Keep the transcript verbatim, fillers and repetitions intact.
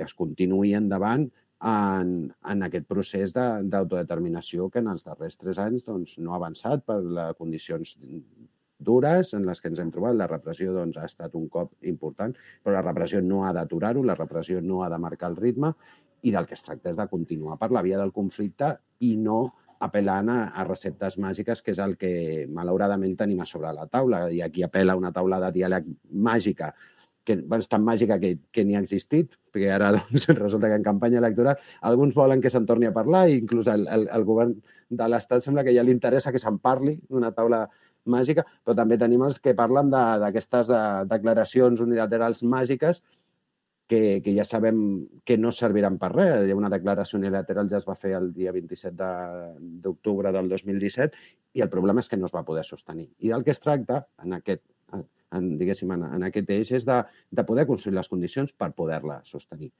que es continuï endavant en, en aquest procés d'autodeterminació que en els darrers tres anys doncs, no ha avançat per les condicions dures en les que ens hem trobat. La repressió doncs, ha estat un cop important, però la repressió no ha d'aturar-ho, la repressió no ha de marcar el ritme, i del que es tracta és de continuar per la via del conflicte i no apel·lant a, a receptes màgiques, que és el que malauradament tenim a sobre la taula. I aquí apel·la una taula de diàleg màgica, que bueno, és tan màgica que, que ni ha existit, perquè ara doncs, resulta que en campanya electoral alguns volen que se'n torni a parlar, i inclús el, el, el govern de l'Estat sembla que ja li interessa que se'n parli d'una taula màgica, però també tenim els que parlen d'aquestes de, de declaracions unilaterals màgiques que, que ja sabem que no serviran per res. Hi ha una declaració unilateral, ja es va fer el dia vint-i-set d'octubre del dos mil disset, i el problema és que no es va poder sostenir. I del que es tracta en aquest, en, diguéssim, en, en aquest eix és de, de poder construir les condicions per poder-la sostenir.